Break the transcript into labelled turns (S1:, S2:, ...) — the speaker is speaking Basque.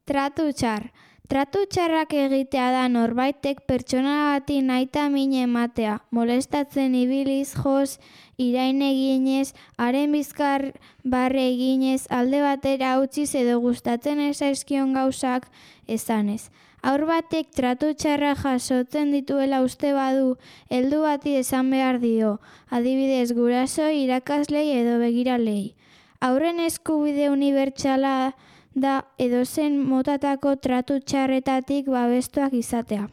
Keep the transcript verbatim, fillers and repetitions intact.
S1: Tratu txar. Tratu txarrak egitea da norbaitek pertsona bati nahita min ematea, molestatzen ibiliz, jos, irain eginez, haren bizkar barre eginez, alde batera utziz edo gustatzen ez zaizkion gauzak esanez. Haur batek tratu txarra jasotzen dituela uste badu, heldu bati esan behar dio, adibidez guraso, irakaslei edo begiralei. Haurren eskubide unibertsala da edozein motatako tratu txarretatik babestuak izatea.